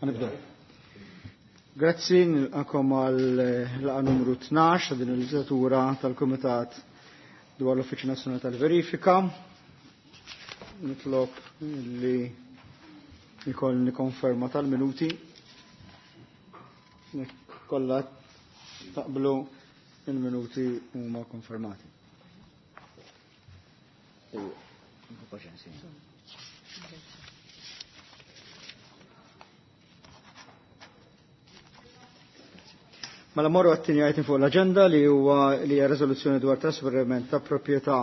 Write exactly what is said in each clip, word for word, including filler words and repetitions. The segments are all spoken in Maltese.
Ħanibdew. Grazzi nilqakom għal laqgħa numru tnax ta' din il-leġislatura tal-Kumitat dwar l-Uffiċċju Nazzjonali tal-Verifika. Nitlob li jkollni konferma tal-minuti. Kollha taqblu il-minuti huma konfermati. Mela morru għat-tieni item fuq l-aġenda li huwa li hija riżoluzzjoni dwar trasferiment ta' proprjetà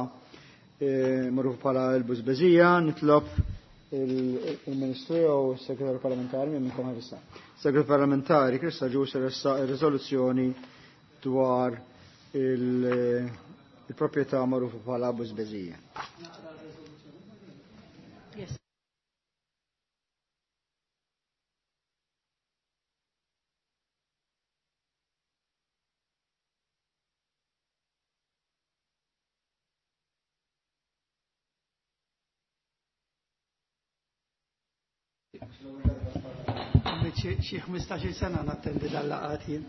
magħruf bħala l-Bużbeżija. Nitlob il-Ministru jew is-Segretarju Parlamentari minn minnkom ħarissa. Segretarju Parlamentari Chris Agius ressaq ir-riżoluzzjoni dwar il-proprjetà magħrufa bħala Bużbeżija. Yes. Xi ħmistax-il sena nattendi dal-laqgħat jien.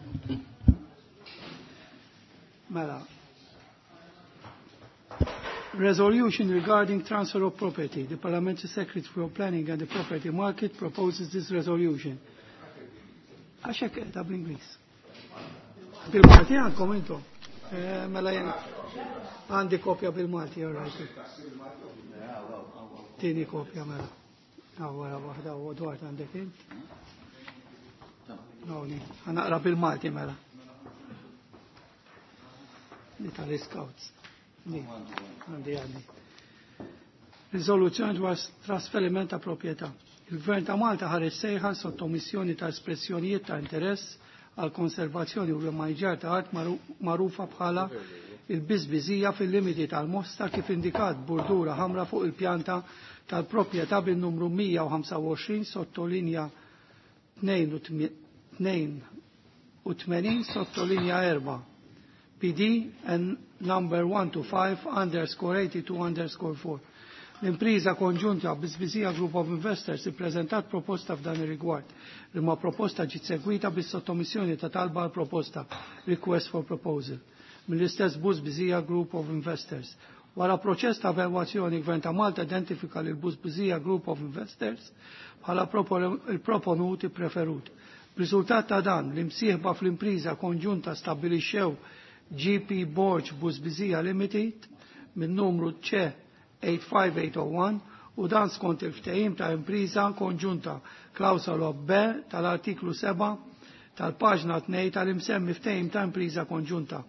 Mela. Resolution regarding transfer of property. The Parliamentary Secretary for Planning and the Property Market proposes this resolution. Għax hekk qiegħda bl-Ingliż. Bil-Malti għandkom intom. Mela jien għandi kopja bil-Malti, all right. Tieni kopja mela. Għawara waħda u dwar għandek int. Għawni, ħanaqra bil-Malti mela. Li tal-Scouts. Għandi għandi. Riżoluzzjoni dwar trasferiment ta' proprjetà. Il-Gvern ta' Malta ħareġ sejħa sottomissjoni ta' espressjonijiet ta' interess għal konservazzjoni u l-maniġar ta' art magħrufa bħala il-biżbiżija fil-limiti tal-Mosta kif indikat burdura ħamra fuq il-pjanta tal-proprjetà bin-numru mija u ħamsa u għoxrin sottolinja tnejn u tmenin sottolinja erba' P D and number one two five underscore eighty-two underscore four. L-impriża konġunta Biżbiżija Group of Investors ippreżentat proposta f'dan ir-rigward. Imma proposta ġiet segwita bis-sottomissjoni ta' talba għal proposta, request for proposal, mill-istess Bużbiżija Group of Investors. Wara proċess ta' evalwazzjoni, Gvern ta' Malta identifika lil Bużbiżija Group of Investors bħala il-proponuti preferut. B'riżultat ta' dan, l-imsieħba fl-impriża konġunta stabbilixxew G P Borg Bużbiżija Limited minn numru C eight five eight oh one u dan skont il-ftehim ta' impriża konġunta klawsola B tal-artiklu seba' tal-paġna tnejn tal-imsemmi ftehim ta' impriża konġunta.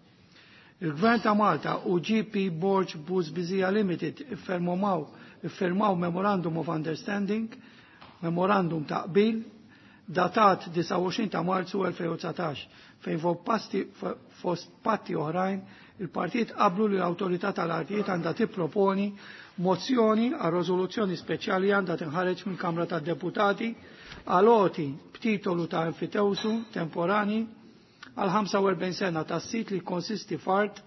Il-Gvern ta' Malta u G P Borg Bużbiżija Limited iffirmaw, iffirmaw Memorandum of Understanding, Memorandum ta' qbil, datat disgħa u għoxrin ta' Marzu elfejn u dsatax, fejn fost patti oħrajn il-partijiet qablu li l-awtorità tal-artijiet għandha tipproponi mozzjoni għal riżoluzzjoni speċjali għandha tinħareġ mill-Kamra tad-Deputati għal għoti b'titolu ta' enfitewsu temporani għal ħamsa u erbgħin sena tas-sit li jikkonsisti f'art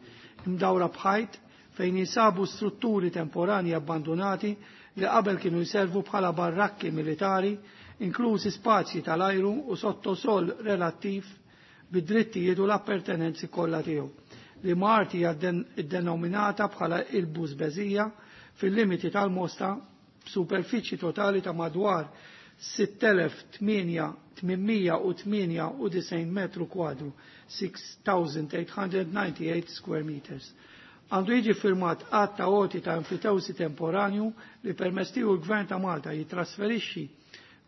imdawra b'ħajt fejn jinsabu strutturi temporani abbandonati li qabel kienu jservu bħala barrakki militari, inklużi spazji tal-ajru u sottosol relattiv bid-drittijiet u l-appertenenzi kollha tiegħu. Li Marti hija denominata bħala il-Bużbeżija fil-limiti tal-Mosta b'superfiċi totali ta' madwar sitt elef tmien mija u tmienja u disgħin metru kwadru, six thousand eight hundred ninety-eight square meters. Għandu jiġi firmat att ta' għoti ta' enfitewsi temporanju li permess tiegħu l-Gvern ta' Malta jitrasferixxi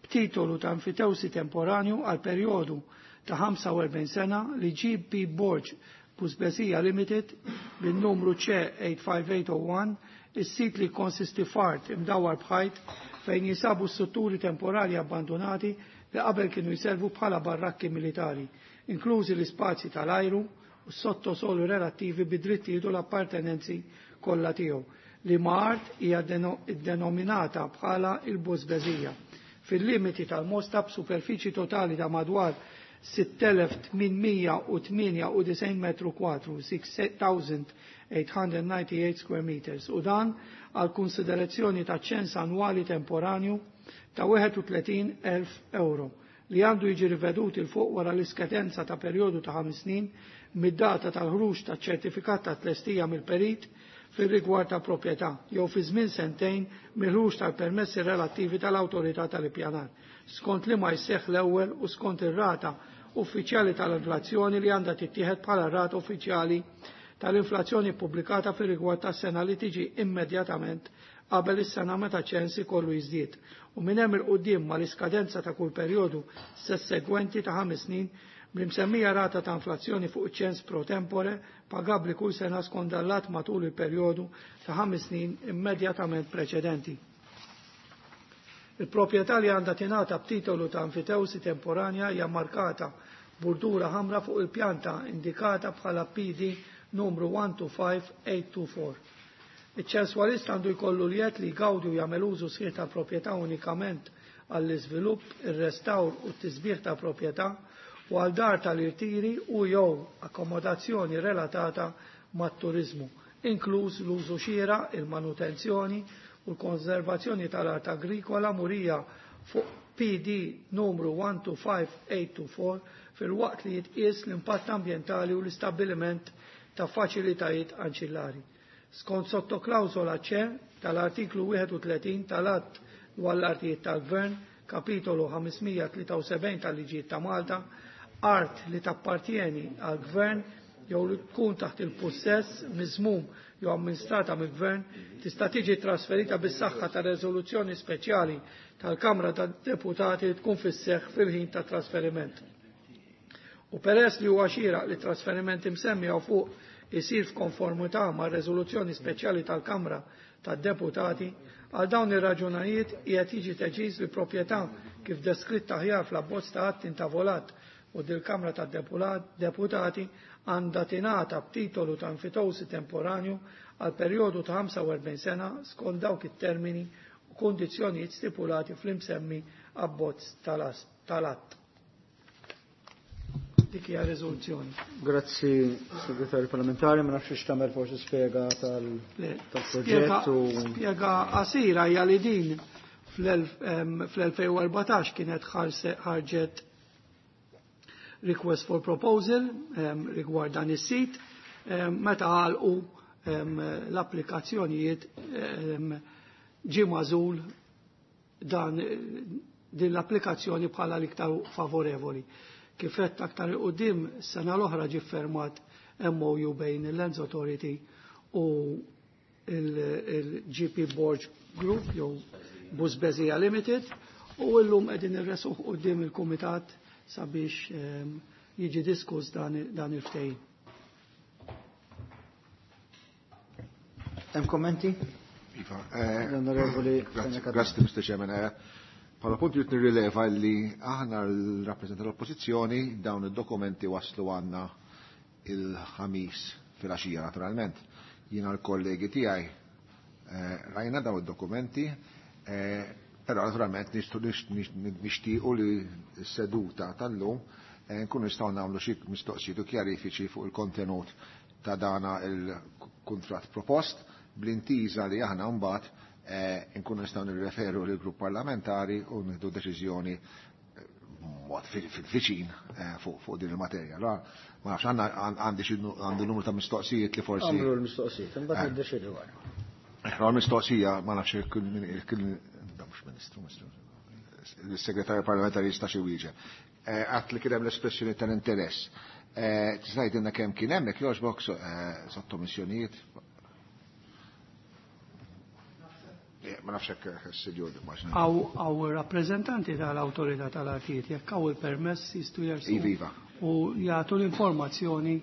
b'titolu ta' enfitewsi temporanju għal perjodu ta' ħamsa u erbgħin sena li G P Borg Bużbeżija Limited bin-numru C eight five eight oh one, is-sit li konsisti f'art imdawwar b'ħajt fejn jinsabu strutturi temporali abbandonati li qabel kienu jservu bħala barrakki militari, inklużi l-ispazji tal-ajru u s-sottosolu relattivi bid-drittijiet u l-appartenenzi kollha tiegħu, li ma' art hija denominata bħala il-Bużbeżija fil-limiti tal-Mosta b'superfiċi totali ta' madwar sitt elef tmien mija u tmienja u disgħin metru kwadru, six thousand eight hundred ninety-eight square meters, u dan għal konsiderazzjoni ta' ċens annwali temporanju ta' wieħed u tletin elf euro li għandu jiġi rivedut il fuq wara l-iskadenza ta' perjodu ta' ħames snin mid-data tal-ħruġ ta' ċertifikat ta' tlestija mill-perit fir-rigward ta' proprjetà jew fi żmien sentejn mill-ħruġ tal-permessi relattivi tal-awtorità tal-ippjanar, skont li ma jseħħ l-ewwel u skont ir-rata uffiċjali tal-inflazzjoni li għandha tittieħed bħala rata uffiċjali tal-inflazzjoni pubblikata fir-rigward tas-sena li tiġi immedjatament qabel is-sena meta ċens ikollu jiżdied u minn hemm il-quddiem mal-iskadenza ta' kull perjodu segwenti ta' ħames snin bl-imsemmija rata ta' inflazzjoni fuq ċens pro tempore pagabbli kull sena skont dallat matul il-perjodu ta' ħames snin immedjatament preċedenti. Il-proprjetà li għandha tingħata b'titolu ta' enfitewsi temporanja hija markata burdura ħamra fuq il-pjanta indikata bħala P D numru one two five eight two four. Iċ-ċenswalist għandu jkollu l-jett li jgawdi u jagħmel użu sħiħ ta' proprjetà unikament għall-iżvilupp, ir-restawr u t-tisbieħ ta' proprjetà u għal dar tal-irtiri u jew akkomodazzjoni relatata mat-turizmu, inkluż l-użu xieraq, il-manutenzjoni u l-konservazzjoni tal-art agrikola murija fuq P D numru one two five eight two four fil-waqt li jitqies l-impatt ambjentali u l-istabbiliment ta' faċilitajiet anċillari. Skont sottoklawsola C tal-artiklu wieħed u tletin tal-Att dwar l-Artijiet tal-Gvern, kapitolu ħamsmija tlieta u sebgħin tal-Liġijiet ta' Malta, art li tappartieni għall-Gvern jew li tkun taħt il-pussess miżmum jew amministrata mill-Gvern tista' tiġi trasferita bis-saħħa ta' reżoluzzjoni speċjali tal-Kamra tad-Deputati li tkun fis-seħħ fil-ħin ta' trasferiment. U peress li huwa xieraq li trasferiment imsemmi hawn fuq isir f'konformità ma' reżoluzzjoni speċjali tal-Kamra tad-Deputati, għal dawn ir-raġunajiet qiegħed jiġi deċiż li proprjetà kif deskritta aħjar fl-abbozz ta' att intavolat u dil-Kamra tad-Deputati għandha tingħata b'titolu ta' enfitewsi temporanju għal perjodu ta' ħamsa u erbgħin sena skont dawk it-termini u kundizzjonijiet stipulati fl-imsemmi abbozz tal-att. Dik hija riżoluzzjoni. Grazzi, Segretarju Parlamentari, ma nafx x'tagħmel forsi spjega tal-proġett u spjega qasira hija li din fl-elfejn u erbatax kienet ħarġet request for proposal rigward dan is-sit, meta għalqu l-applikazzjonijiet ġie magħżul dan din l-applikazzjoni bħala l-iktar favorevoli. Kif għedt aktar il-qudiem, sena l-oħra ġie fermat M O U bejn il-Lands Authority u il-G P Borg Group jew Busbezija Limited u llum qegħdin irresuh quddiem il-Kumitat sabiex jiġi diskuss dan, dan il-ftehim. Hemm kommenti? Iva, eh, L-Onorevoli grazie, Fenech. grazie, Mister Chairman. Eh, Bħala punt jrid nirrileva li aħna l-rappreżentanti tal-Oppożizzjoni dawn id-dokumenti waslu għandna il-ħamis fil-għaxija naturalment. Jiena l-kollegi tiegħi, eh, rajna dawn id-dokumenti, eh, però naturalment nixtiequ li s-seduta tal-lum, eh, nkunu nistgħu nagħmlu xi mistoqsijiet u kjarifiċi fuq il-kontenut ta' dana il-kuntratt propost bl-intiża li aħna mbagħad, eh, nkunu nistgħu nirreferu lill grupp parlamentari u nieħdu deċiżjoni, eh, mod fil-viċin, eh, fuq, fuq din il-materja. Allora, ma nafx, għandna, għand-, għandi xi nu-, għandi numru ta' mistoqsijiet li forsi Għamlu l-mistoqsijiet, imbagħad Eh. niddeċidu wara. Eh, l-mistoqsija, ma nafx jekk il-min-, jekk il-, da mhux ministru, ministru, il-segretarju parlamentari jista' xi wieġeb. Eh, għat li kien hemm l-espressjoni tal-interess. Eh, tista' tgħidilna kemm kien hemm, jekk jogħġbok, so-, eh, sottomissjonijiet? Eh, ma nafx hekk is-sinjur ma nafx. Għaw, għaw rappreżentanti tal-awtorità tal-artijiet, jekk hawn il-permess jistgħu jersu Iva, iva. u jagħtu l-informazzjoni.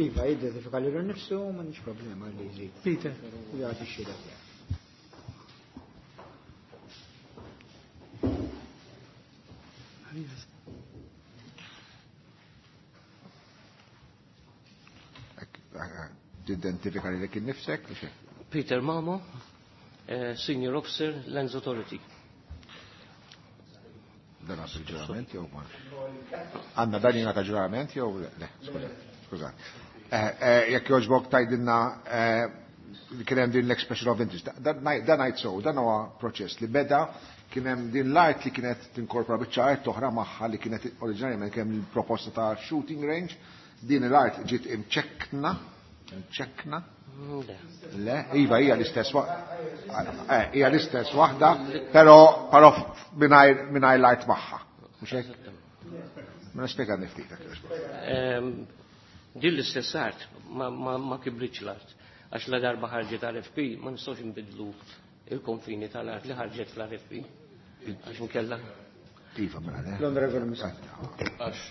Iva, jidentifika lilu nnifsu, m'għandix problema li jżid. Peter. U jagħti x-xhieda tiegħu. Tidentifika lilek innifsek, li xejn? Peter Mamo, eh, Senior Officer, Lands Authority. Dan għas il-ġurament jew ma? Għandna dan jingħata ġurament jew le? Le, skuża, skuża. Eh, eh, jekk jogħġbok tgħidilna, eh, Kien hemm din l-expression of interest. Dan ngħid so, dan huwa proċess li beda kien hemm din l-art li kienet tinkorpora biċċa art oħra magħha li kienet oriġinarjament kien hemm il-proposta ta' shooting range. Din l-art ġiet imċekkna, imċekkna. Le, iva hija l-istess waħda. Hija l-istess waħda, però però mingħajr mingħajr l-art magħha. Mhux hekk? Ma nispjega ftit hekk. Din l-istess art ma, ma, ma kibritx l-art. Għax la darba ħarġet R F P ma nistgħux nbidlu il-konfini tal-art li ħarġet fl-R F P. Għax nkella. Iva, mela, le. L-Onorevoli Muscat. Għax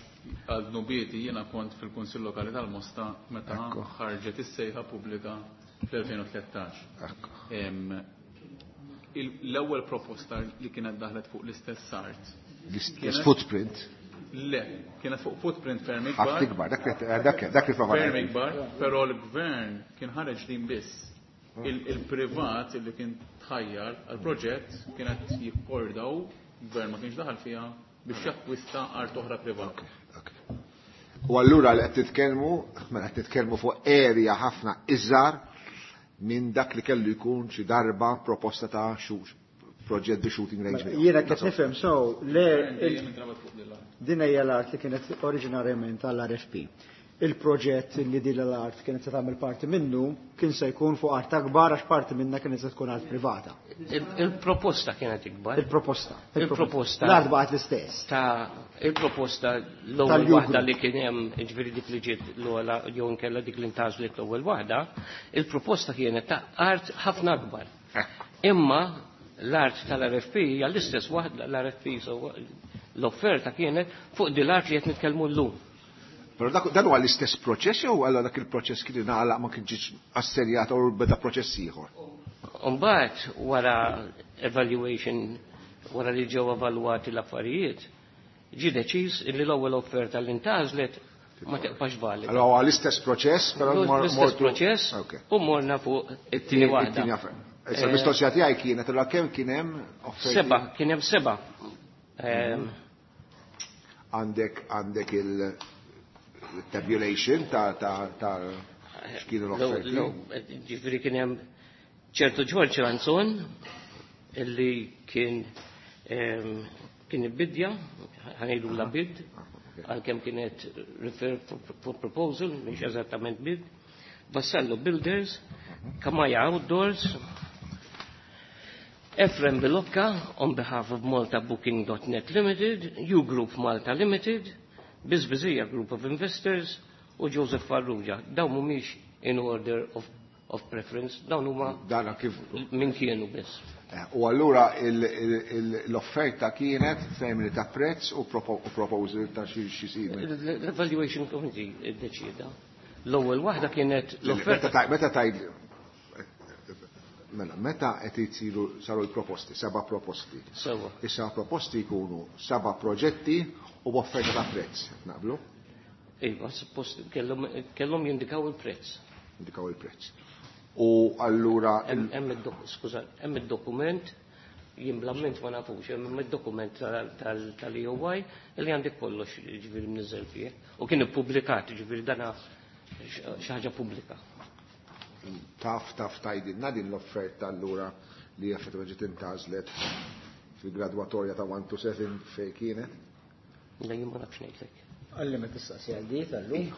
għal dnubieti jiena kont fil-Kunsill Lokali tal-Mosta meta Ekku. ħarġet is-sejħa pubblika fl-elfejn u tlettax. Ekku. Em, il- L-ewwel proposta li kienet daħlet fuq l-istess art. L-istess Kienet- footprint. Le, kienet fuq footprint ferm Ħafna ikbar. ikbar, dak dak dak li prova Ferm ngħid. ikbar, però l-gvern kien ħareġ din biss. Il- Il-privat li kien tħajjar għal-proġett kienet jikkordaw, gvern ma kienx daħal fiha biex jakkwista art oħra privata. Ok. U allura li qed titkellmu, mela qed titkellmu fuq area ħafna iżgħar minn dak li kellu jkun xi darba proposta ta' xu proġett bi shooting range miegħu. Jiena qed nifhem, so le il- Dejjem intrabat fuq din l-art. din hija l-art li kienet oriġinarjament għall-R F P. Il-proġett li din l-art kienet se tagħmel parti minnu kien se jkun fuq art akbar għax parti minna kienet se tkun art privata. Il- Il-proposta kienet ikbar. Il-proposta. Il-proposta. L-art baqgħet l-istess. Ta' il-proposta l-ewwel Tal-U waħda Group. li kien hemm, ġifieri dik li ġiet l-ogħla jew inkella dik li ntgħażlet l-ewwel waħda, il-proposta kienet ta' art ħafna akbar. Imma l-art tal-R F P hija l-istess waħda l-R F P, so l-offerta kienet fuq din l-art li qed nitkellmu llum. Però dak dan huwa l-istess proċess jew allura dak il-proċess kien ingħalaq, ma kienx assenjat u beda proċess ieħor? Umbagħad wara evaluation, wara li ġew evalwati l-affarijiet, ġi deċiż li l-ewwel offerta li ntgħażlet ma tibqax valida. Allora huwa l-istess proċess, però mor- L-istess mortu- proċess Ok. u morna fuq it-tieni waħda. It-tieni offerta. Issa l-mistoqsija tiegħi kienet allura kemm kien hemm offerti? Seba, kien hemm seba. Ehm, Għandek għandek il-tabulation ta' ta' ta' x'kienu l-offerti? Ġifieri kien hemm ċertu George Ranzon illi kien ehm, kien ibbidja, ħa ngħidu la bid, għalkemm kienet refer for, for proposal, mhix eżattament bid, Vassallo Builders, Kamaja Outdoors, Efrem Bilocca on behalf of Malta Booking dot net Limited, U Group Malta Limited, Bizbizija Group of Investors u Joseph Farrugia. Dawn mhumiex in order of, of preference, dawn huma Dana kif min kienu biss. Eh, U allura il- il- il- l-offerta kienet termini ta' prezz u propo- u proposal ta' xi xi simili. L-Evaluation Committee iddeċida. L-ewwel waħda kienet Meta l-offerta taj- Meta tajd mela, meta qed isiru saru l-proposti, seba' proposti. Sewa. Issa proposti jkunu seba' proġetti u b'offerta ta' prezz, naqblu? Iva, suppost kellhom kellhom jindikaw il-prezz. Indikaw il-prezz. U allura Hemm hemm id-dok- skuża, hemm id-dokument, jien bl-amment ma nafux, hemm id-dokument tal-E O Y li għandek kollox ġifieri mniżel fih. U kien ippubblikat, ġifieri dana xi ħaġa pubblika. taf taf tgħidilna din l-offerta allura li effettivament ġiet intgħażlet fil-gradwatorja ta' one to seven fejn kienet? Le, jien ma nafx ngħidlek. Għalli ma tistaqsi għal di tal-lum.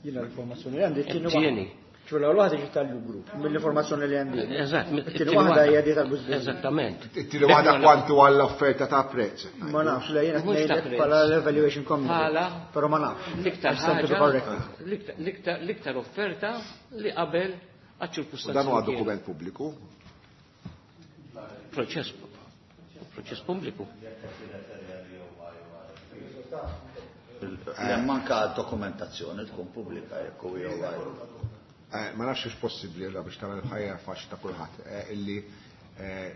Jiena l-informazzjoni li għandi t-tieni Tieni. ċu l waħda ġiet tal-grupp, mill-informazzjoni li għandi. Eżatt, It-tieni waħda hija di tal-Busbizija. Eżattament. It-tieni waħda kwantu għall-offerta ta' prezz. Ma nafx, le jiena Mhux ta' ngħidlek prezz. bħala l-evaluation committee. Bħala Però ma nafx. L-iktar I stand to be ħaġa, corrected. l-iktar- l-iktar l-iktar offerta li qabel U għaċ-ċirkustanzi. dan huwa li kienu. dokument pubbliku. Proċess proċess pubbliku. Le, manka dokumentazzjoni tkun pubblika jekk u jew Eh, Ma nafx hux possibbli allura biex tagħmel ħajja faċli ta' kulħadd eh, illi eh,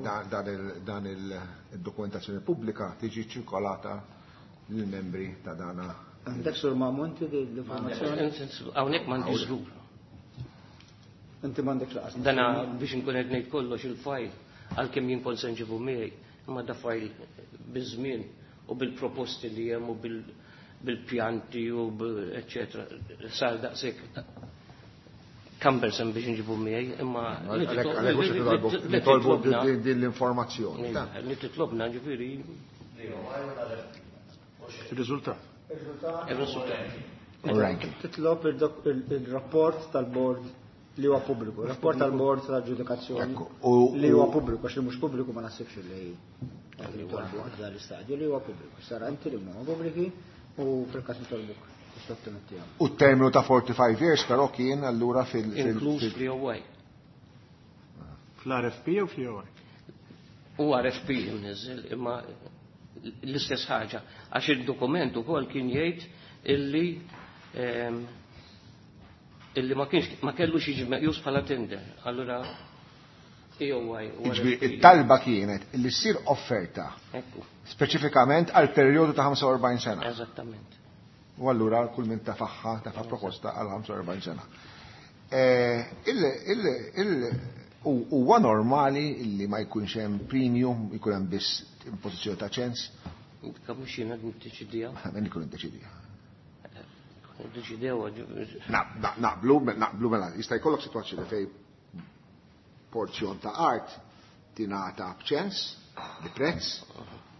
dan dan il- dan il-dokumentazzjoni pubblika tiġi ċirkolata lill-membri ta' dana. Għandek sur Mamonti di l-informazzjoni? Hawnhekk m'għandix żgur. Inti m'għandek laqas. Dana biex nkun qed ngħid kollox il-fajl għalkemm jien kont se nġibu miegħi, imma da fajl biż-żmien u bil-proposti li hemm u bil- bil-pjanti u bil- eċetera sar daqshekk cumbersome biex nġibu miegħi, imma nitolbu din l-informazzjoni. Li titlobna ġifieri. Il-riżultat. Il-riżultat. Titlob il-rapport tal-bord li huwa pubbliku, rapport tal-bord tal-ġudikazzjoni li huwa pubbliku, għax li mhux pubbliku ma naħsibx li dan l-istadju li huwa pubbliku. Sara inti li huma pubbliki u fil-każ nitolbuk. U t-terminu ta' forty-five years però kien allura fil- Inkluż fl-E O I. Fl-R F P u fl-E O I? U R F P imniżel, imma l-istess ħaġa. Għax il-dokument ukoll kien jgħid illi illi ma kienx ma kellux jiġi meqjus bħala tender. Allura E O I u R F P. It-talba kienet illi ssir offerta speċifikament għal perjodu ta' ħamsa u erbgħin sena. Eżattament. U allura kull min tafaħħa tafa proposta għal ħamsa u erbgħin sena. Huwa normali illi ma jkunx hemm premium, jkun hemm biss impożizzjoni ta' ċens? Kemm mhux jiena niddeċidiha. Min ikun iddeċidiha? Niddeċidew. Naqblu, naqblu mela, jista' jkollok sitwazzjoni fejn porzjon ta' art tingħata b'ċens, bi prezz,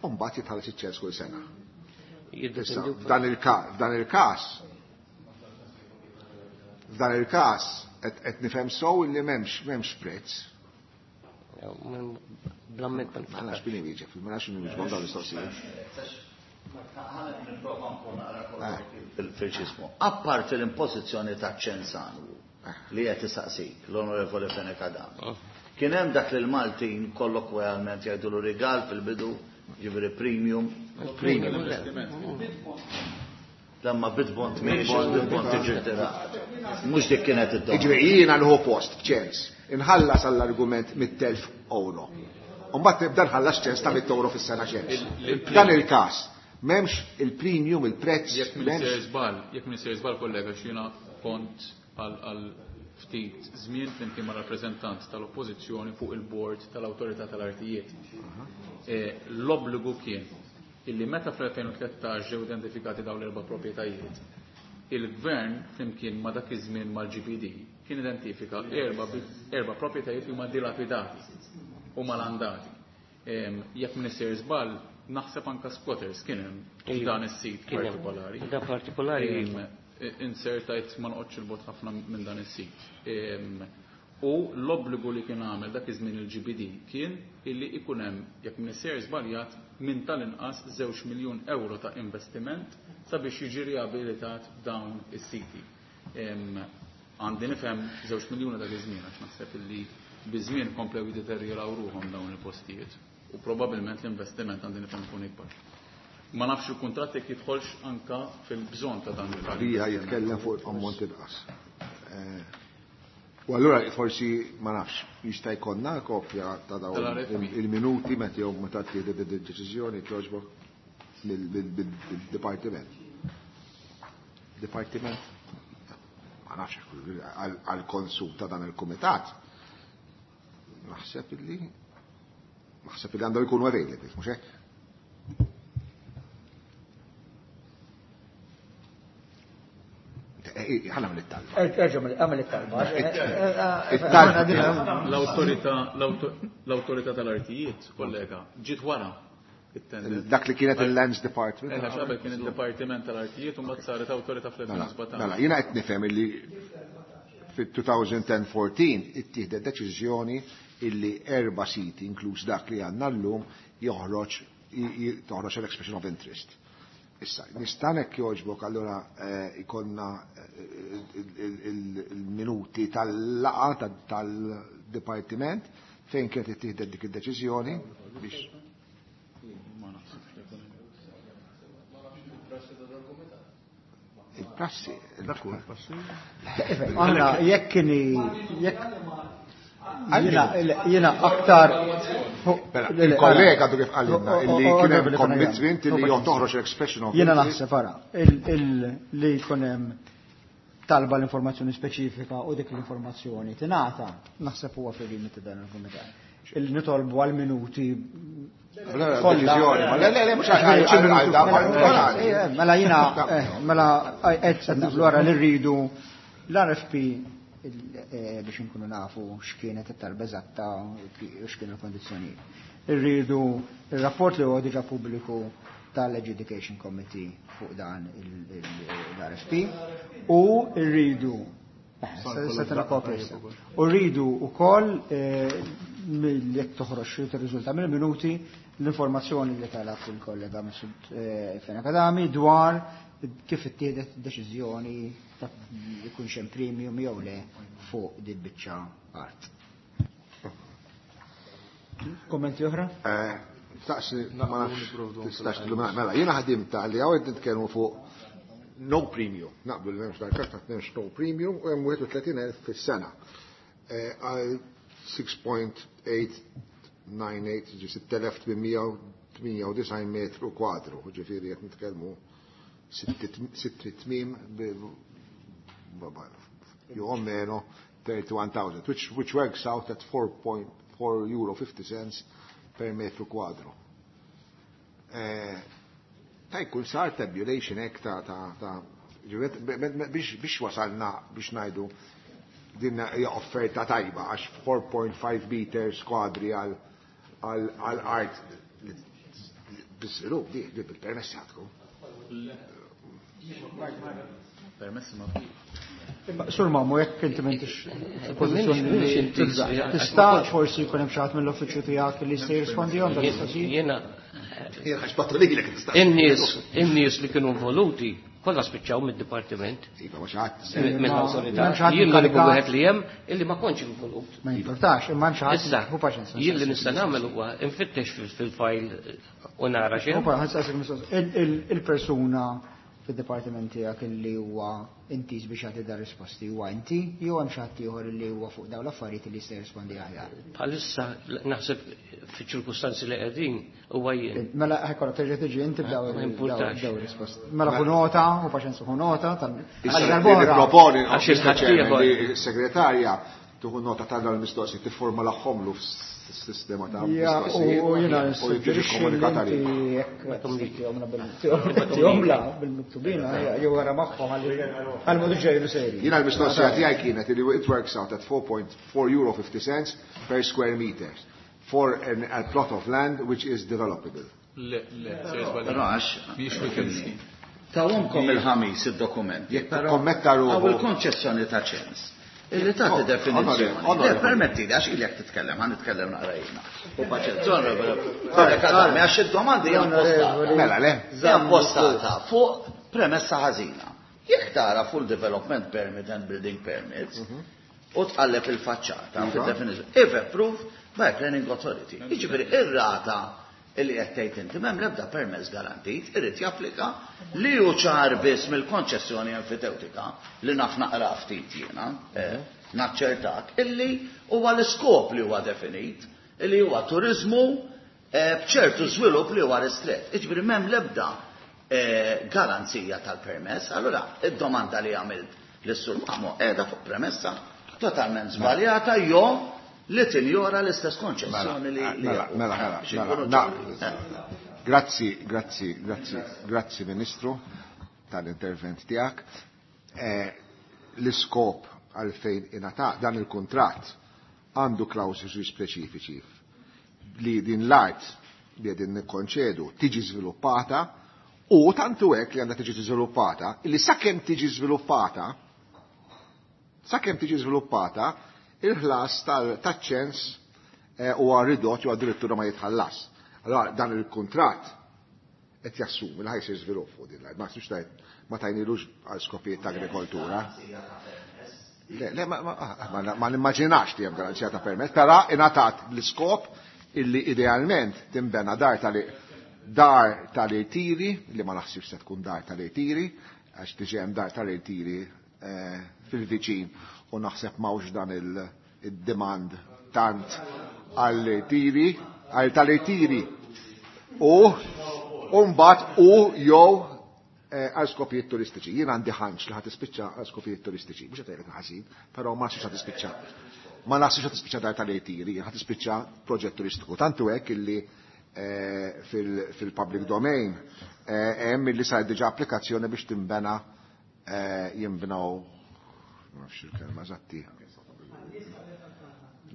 u mbagħad jitħallas iċ-ċens kull sena. F'dan il-każ, f'dan il-każ qed nifhem sew illi m'hemmx m'hemmx prezz. Blamment ma nafx min iwieġeb, ma nafx min iwieġeb dawn l-istoqsijiet. Nipprova nkun naqra fil-ċismu. Apparti l-impożizzjoni ta' ċens annwu li qed isaqsik l-Onorevoli Fenech Adami. Kien hemm dak li l-Maltin kollokwjalment jgħidulu rigal fil-bidu, ġifieri premium. Premium. Lamma bid-bond miex, bid-bond tiġi tirata. Mhux dik kienet id-domanda. Jiġifieri jiena nieħu post b'ċens, inħallas għall-argument mitt elf euro. U mbagħad nibda nħallas ċens ta' mitt euro fis-sena ċens. F'dan il-każ m'hemmx il-premium, il-prezz. Jekk min sejjer żball, jekk min sejjer żball kollega x'jiena kont għal ftit żmien flimkien ma' rappreżentant tal-Oppożizzjoni fuq il-bord tal-Awtorità tal-Artijiet. L-obbligu kien illi meta fl-elfejn u tlettax ġew identifikati dawn l-erba' proprjetajiet, il-gvern flimkien ma' dak iż-żmien mal-G P D kien identifika erba' erba' proprjetajiet li huma dilapidati u malandati. Jekk min isir żball, naħseb anka squatters kien hemm f'dan is-sit partikolari. Da partikolari. Insertajt ma noqgħodx il-bot ħafna minn dan is-sit. U l-obbligu li kien għamel dak iż-żmien il-G B D kien illi ikun hemm, jekk min isir żbaljat, minn tal-inqas żewġ miljun euro ta' investiment sabiex jiġi riabilitat dawn is-siti. Għandi nifhem żewġ miljuni dak iż-żmien għax naħseb illi biż-żmien komplew jiddeterjoraw ruħhom dawn il-postijiet u probabbilment l-investiment għandi nifhem ikun ikbar. Ma nafx il-kuntratt jekk jidħolx anka fil-bżonn ta' dan il-każ. Rija jitkellem fuq ammont inqas. U allura forsi ma nafx jista' jkollna kopja ta' dawn il-minuti meta jew meta tieħdet id-deċiżjoni togħġbok mill-dipartiment. Dipartiment? Ma nafx għall-konsum ta' dan il-kumitat. Naħseb illi naħseb illi għandhom ikunu available, mhux hekk? Ħana mill talba. Erġa' għamel it-talba. L-awtorità, l-awtorità tal-artijiet, kollega, ġiet wara it-tender. Dak li kienet il-Lands Department. Eh, għax qabel kien il-Dipartiment tal-Artijiet u mbagħad saret awtorità fl-elfejn u sbatax. Mela, jiena qed nifhem illi fit-two thousand fourteen ittieħdet deċiżjoni illi erba' siti, inkluż dak li għandna llum, joħroġ toħroġ l-expression of interest. Issa, nistanek joġbok allura ikonna il-minuti tal-laqa tal-dipartiment fejn kienet ittieħdet dik id-deċiżjoni biex. Il-prassi. Għanna, jekk kieni, jekk jiena aktar. Il-kollega għadu kif qalilna illi kien hemm commitment illi jew toħroġ l-expression of Jiena interest. naħseb ara, li jkun hemm talba l-informazzjoni speċifika u dik l-informazzjoni tingħata, naħseb huwa fil-limiti dan il-kumitat. Il nitolbu għal minuti kollha. Le, le, le, mhux għal Mela jiena, mela qed naqblu wara li rridu l-R F P biex inkunu nafu x'kienet it-talba eżatta u x'kienu l-kondizzjonijiet. Irridu ir-rapport li huwa diġà pubbliku tal-Adjudication Committee fuq dan l-R F P u rridu u rridu wkoll jekk toħroġ tirriżulta mill-minuti l-informazzjoni li talab il-kollega Mifsud Fenech Adami dwar kif ittieħdet deċiżjoni ta' jkunx hemm premium jew le fuq din biċċa art. Kommenti oħra? Staqsi, ma nafx tistax tilumina. Mela, jiena ħadim ta' li hawn qed nitkellmu fuq no premium. Naqblu li m'hemmx dal-każ ta' m'hemmx no premium u hemm wieħed u tletin elf fis-sena. Għal six point eight nine eight, ġi sitt elef tmien u tmien u disgħin metru kwadru, ġifieri qed nitkellmu sitt tmiem jew meno thirty-one thousand, which, which works out at four point four euro fifty cents per metru kwadru. Ta' jkun sar tabulation hekk ta' ta' ta' biex, biex wasalna biex ngħidu din hija offerta tajba għax four point five meters kwadri għal, għal, għal art biżvilupp di, di bil-permessi għadkom. Permessi ma Imma, Sur Mamo, jekk inti m'intix pożizzjoni li tibża', tista' forsi jkun hemm xi ħadd mill-uffiċċju tiegħek li jista' jirrispondihom dan l-istoqsijiet? Jiena Jiena ħax battu lilek tista'. In-nies, in-nies li kienu involuti kollha spiċċaw mid-dipartiment. Iva, ma xi ħadd. Mill-awtorità. M'hemm xi ħadd Jien l-uniku inkarigat. wieħed li hemm illi ma kontx involut. Ma jimportax, imma hemm xi ħadd. Issa, Hu paċenza. jien li nista' nagħmel huwa nfittex fil-fajl u nara xejn. Hu paċenza, ħadd mistoqsija. Il-, il-, il-persuna fid-dipartiment tiegħek illi huwa intiż biex jagħti dar risposti huwa inti jew hemm xi ħadd ieħor illi huwa fuq dawn l-affarijiet li jista' jirrispondi aħjar? Bħalissa naħseb fiċ-ċirkustanzi li qegħdin huwa jien. Mela ħajkollok terġa' tiġi inti b'daw Ma importax. daw risposti. Mela ħu nota, u paċenza ħu nota tal- Issa għal li darb'oħra. nipproponi Għax Mister il-ħadd Chairman, ieħor. li s-segretarja tuħu nota tal dawn il-mistoqsijiet tifforma l-aħħomlu f'sistema ta' Ja, mistoqsijiet u jiena u jiġi nissuġġerixxi li komunikat inti għalik. jekk tistihomla bil-tihomla bil-miktubina, jew wara magħhom għal modu ġejlu seri. Jiena l-mistoqsija tiegħi kienet li it works out at four point four euro fifty cents per square meter for an, a plot of land which is developable. Le, le, sejr żball. Però għax Mhix weekend scheme. Tawhomkom il-ħamis id-dokumenti. Jekk tikkommetta ruħu. Għaw il-konċessjoni ta' ċens. Illi tagħti Oh, definizzjoni. onorevoli, onorevoli. Le, permetti li għax ilek titkellem, ħa nitkellem naqra jiena. U paċenza, onorevoli. Onorevoli, Kadami, għax id-domandi hija impostata. Mela, le. Hija impostata fuq premessa ħażina. Jekk tara full development permit and building permits, u tqalleb il-faċċata fid-definizzjoni, if approved by planning authority. Jiġifieri ir-rata illi qed tgħid inti m'hemm l-ebda permess garantit, irid japplika li hu ċar biss mill-konċessjoni enfitewtika li naf naqra ftit jiena, eh, naċċertak, illi huwa l-iskop li huwa definit, illi huwa turizmu, eh, b'ċertu żvilupp li huwa ristret. Jiġifieri m'hemm l-ebda, eh, garanzija tal-permess, allura id-domanda li għamilt lis-Sur Mamo qiegħda fuq premessa totalment żbaljata jew li tinjora l-istess konċessjoni li li Mela, jaqgħu. mela, mela, Biex mela, ikunu na- ċari. Grazzi, grazzi, grazzi, grazzi Ministru tal-intervent tiegħek. Eh, l-iskop għalfejn ingħata dan il-kuntratt għandu klawsoli speċifiċi li din l-art li qegħdin nikkonċedu tiġi żviluppata u tantu hekk li għandha tiġi żviluppata li sakemm tiġi żviluppata sakemm tiġi żviluppata il-ħlas tal-, taċ-ċens, eh, huwa ridott jew addirittura ma jitħallas. Allora dan il-kuntratt qed jassumi li ħajsir żvilupp fuq din l-art. Ma nafx tajt ma tajnilux għal skopijiet ta' agrikoltura. Le, le, ma, ma, ma, ma nimmaġinax li hemm garanzija ta' permess, però ingħatat l-iskop illi idealment tinbena dar tal-, dar tal-irtiri, li ma naħsibx se tkun dar tal-irtiri, għax diġà hemm dar tal-irtiri, eh, fil-viċin u naħseb m'hawnx dan il-, il-demand tant għall-irtiri, għal tal-irtiri. U, u mbagħad u jew, eh, għal skopijiet turistiċi. Jien għandi ħanċ li ħad tispiċċa għal skopijiet turistiċi. Mhux qed ngħidlek ħażin, però ma naħsibx ħad tispiċċa. Ma naħsibx ħad tispiċċa dar tal-irtiri, ħad tispiċċa proġett turistiku. Tantu hekk illi, eh, fil-, fil-public domain, eh, hemm illi sar diġà applikazzjoni biex timbena, eh, jinbnew ma nafx il-kelma eżatti.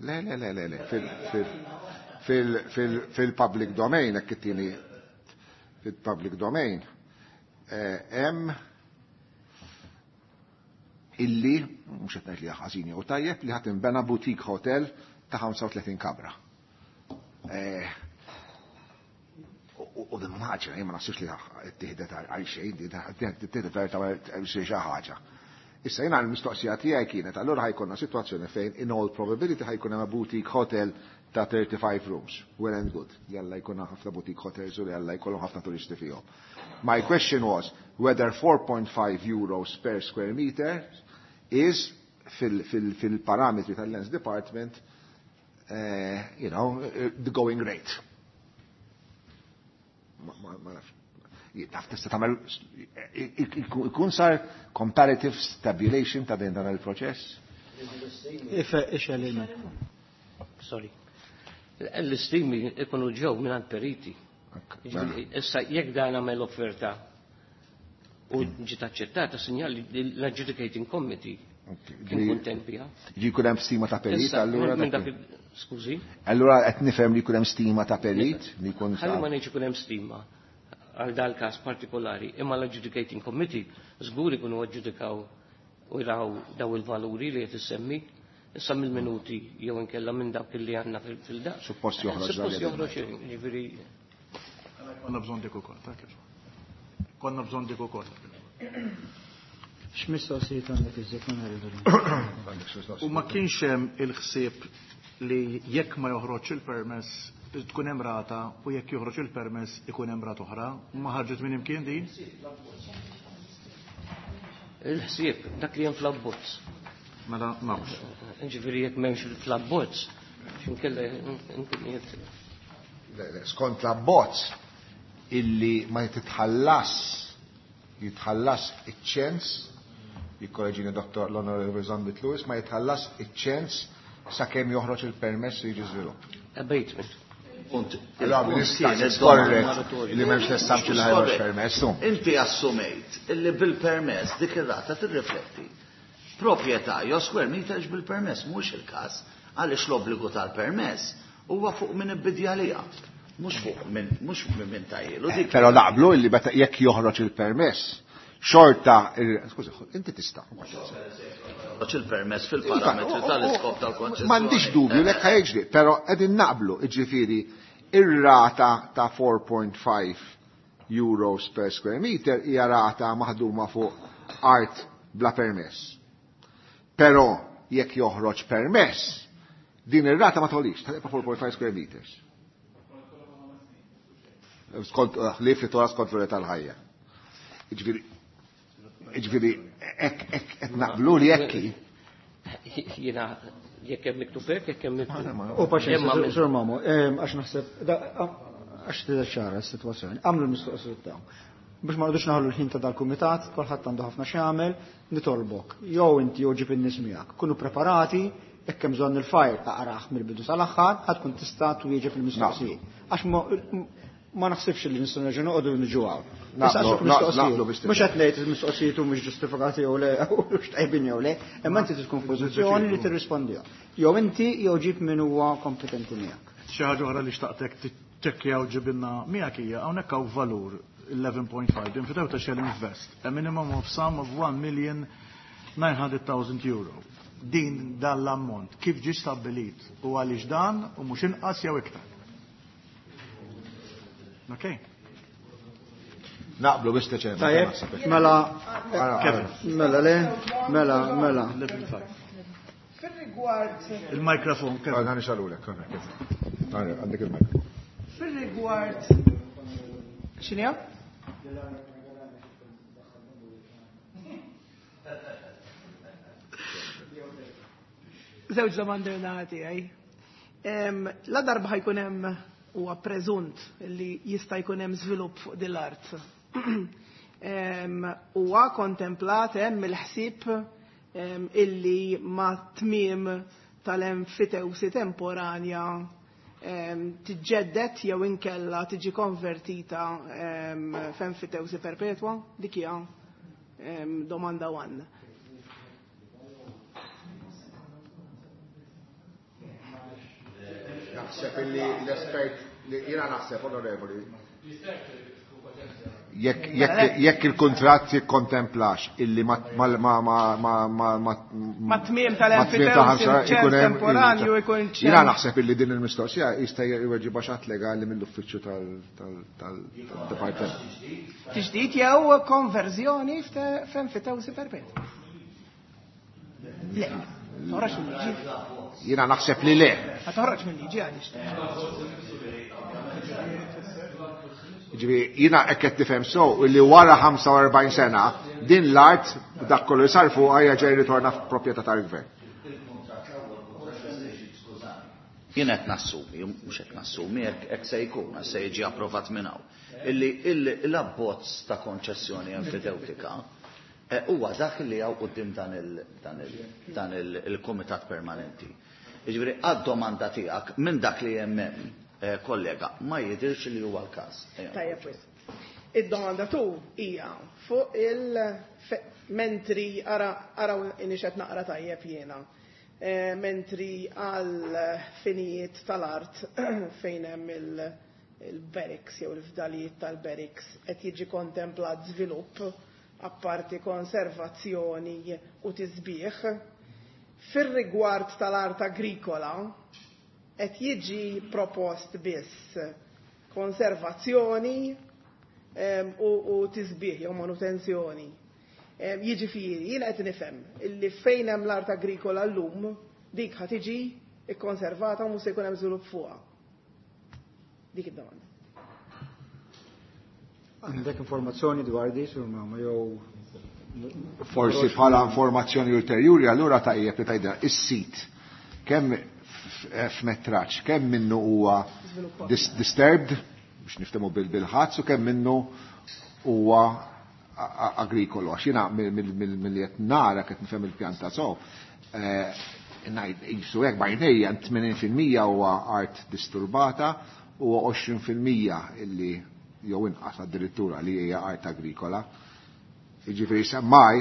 Le, le, le, le, le, fil-public domain, hekk it-tieni fil-public domain, hemm illi, mhux qed ngħid li ħażin jew tajjeb, li ħadd inbena boutique hotel ta' ħamsa u tletin kamra. U din ħaġa, jien ma naħsibx li ttieħdet għal xejn, ttieħdet għal xi ħaġa. Issa jiena l-mistoqsija tiegħi kienet, allura ħajkonna sitwazzjoni fejn in all probability ħajkun hemm boutique hotel ta' thirty-five rooms. Well and good. Jalla jkun ħafna boutique hotels u jalla jkollhom ħafna turisti fihom. My question was whether four point five euros per square meter is fil-parametri tal-Lands Department, uh, you know, the going rate. Ma nafx. Taf tista' tagħmel ikun sar comparative tabulation ta' din dan il-proċess? Sorry. L-istimi ikunu ġew mingħand periti. Issa jekk dan għamel offerta u ġiet aċċettata, sinjal li l-adjudicating committee kien kuntent biha. Ġi jkun hemm stima ta' perit allura. Skużi? Allura qed nifhem li jkun hemm stima ta' perit li jkun. Ħalli ma ngħidx ikun hemm stima għal dal każ partikolari, imma l-adjudicating committee żgur ikunu aġġudikaw u jraw daw il-valuri li qed issemmi issa mill-minuti jew inkella minn dak li għandna fil-daq. Suppost joħroġ. Suppost joħroġ, jiġifieri. Konna bżonn dik ukoll, ta' kif. Konna bżonn dik ukoll. X'mistoqsijiet għandek iżjed ma naridu. U ma kienx hemm il-ħsieb li jekk ma joħroġ il-permess tkun hemm rata u jekk joħroġ il-permess ikun hemm rata oħra, ma ħarġet minn imkien din? Il-ħsieb dak li hemm fl-abbozz. Mela m'hawnx. Ġifieri jekk m'hemmx fl-abbozz, x'inkella nkun qiegħed. Skont l-abbozz illi ma titħallas jitħallas iċ-ċens, jikkoreġini Dottor l-Onorevoli Zammit Lewis, ma jitħallas iċ-ċens sakemm joħroġ il-permess li jiġi żvilupp. Abatement. Punt. Allora, nista' skorret li m'hemmx l-assumption li ħajroġ permess. Inti assumejt illi bil-permess dik ir-rata tirrifletti proprjetà jew square meters bil-permess, mhux il-każ, għaliex l-obbligu tal-permess huwa fuq min ibbidja liha, mhux fuq min mhux minn tajjielu. Però naqblu illi meta jekk joħroġ il-permess, xorta, skużi, inti tista'. Joħroġ il-permess fil-parametri tal-iskop tal-konċessjoni. M'għandix dubju lek ħajġri, però qegħdin naqblu, jiġifieri ir-rata ta' four point five euros per square meter hija rata maħduma fuq art bla permess. Però jekk joħroġ permess, din ir-rata ma tgħolix, tibqa' four point five square meters. Skont ħlief li tora skont l tal-ħajja. Jiġifieri, jiġifieri hekk hekk qed naqblu li hekk hi. Jiena jekk hemm miktub hekk, jekk hemm miktub. U paċenzja, Sur Mamo, għax naħseb, għax tidher ċara s-sitwazzjoni. Għamlu l-mistoqsijiet tagħhom. Biex ma rridux naħlu l-ħin ta' dal-kumitat, kulħadd għandu ħafna x'jagħmel, nitolbok. Jew inti jew ġib in-nies miegħek. Kunu preparati, jekk hemm bżonn il-fajr taqrah mill-bidu sal-aħħar, ħadd tkun tista' twieġeb il-mistoqsijiet. Għax ma naħsibx li nistgħu nerġgħu noqogħdu niġu hawn. Mhux qed ngħid il-mistoqsijiet mhux ġustifikati jew le, mhux tajbin jew le, imma inti tkun f'pożizzjoni li tirrispondihom. Jew inti jew ġib min huwa kompetenti miegħek. Xi ħaġa oħra li xtaqtek tiċċekkjaw ġibilna miegħek hija hawnhekk hawn valur eleven point five Enfiteuta shall invest a minimum of sum of one million nine hundred thousand euro. Din dan l-ammont kif ġie stabbilit u għaliex dan u mhux inqas jew iktar. Okay. Naqblu biex teċem. Tajjeb, mela, mela le, mela, mela. Fil-rigward. Il-mikrofon, kif? Għana nixalulek, għana, kif? Għana, għandek il-mikrofon. Fil-rigward. X'inhija? Żewġ domandi naħati għaj. La darba ħajkun hemm huwa preżunt li jista' jkun hemm żvilupp fuq din l-art. Huwa kontemplat hemm il-ħsieb illi ma tmiem tal-enfitewsi temporanja tiġġedded jew inkella tiġi konvertita f'enfitewsi perpetwa? Dik hija domanda one. naħseb illi l-espert, jiena naħseb, onorevoli, jekk il-kuntratt jikkontemplax illi ma ma tmiem tal-enfitewsi temporanju ikun ċens. Jiena naħseb illi din il-mistoqsija jista' jweġibha xi ħadd legali mill-uffiċċju tal-dipartiment. Tiġdid jew konverżjoni f'enfitewsi perpetwa. Le, toħroġ mill-liġi. Jiena naħseb li le. Ma toħroġ mill-liġi għaliex. Ġifieri jiena hekk qed nifhem so li wara ħamsa u erbgħin sena din l-art dak kollu li sar fuqha jerġa' jirritorna f'proprjetà tal-gvern. Jien qed nassumi, mhux qed nassumi, hekk se jkun, se jiġi approvat minn hawn. Illi l-abbozz ta' konċessjoni enfitewtika huwa dak li hawn quddiem dan il-kumitat permanenti. Jiġifieri għad-domanda tiegħek minn dak li hemm hemm, kollega, ma jidhirx li huwa l-każ. Tajjeb wisq. Id-domanda tu hija fuq il-mentri araw inixet naqra tajjeb jiena. Mentri għal finijiet tal-art fejn hemm il-barracks jew il-fdalijiet tal-barracks qed jiġi kontemplat żvilupp apparti konservazzjoni u tisbieħ. Fir-rigward tal-art agrikola qed jiġi propost biss konservazzjoni u tisbieħ jew manutenzjoni. Jiġifieri jien qed nifhem illi fejn hemm l-art agrikola llum dik ħa tiġi kkonservata u mhux se jkun hemm żvilupp fuqha. Dik id-domanda. Għandek informazzjoni dwar di, sur ma jew forsi bħala informazzjoni ulterjuri allura tajjeb li tgħidha is-sit kemm f'metraġġ, kemm minnu huwa disturbed biex niftehmu bil-ħadd u kemm minnu huwa agrikolu. Għax jiena milli qed nara qed nifhem il-pjanta so, ngħid qisu hekk b'għajnejja tmenin fil-mija huwa art disturbata u għoxrin fil-mija illi jew inqas addirittura li hija art agrikola. Jiġifieri semmaj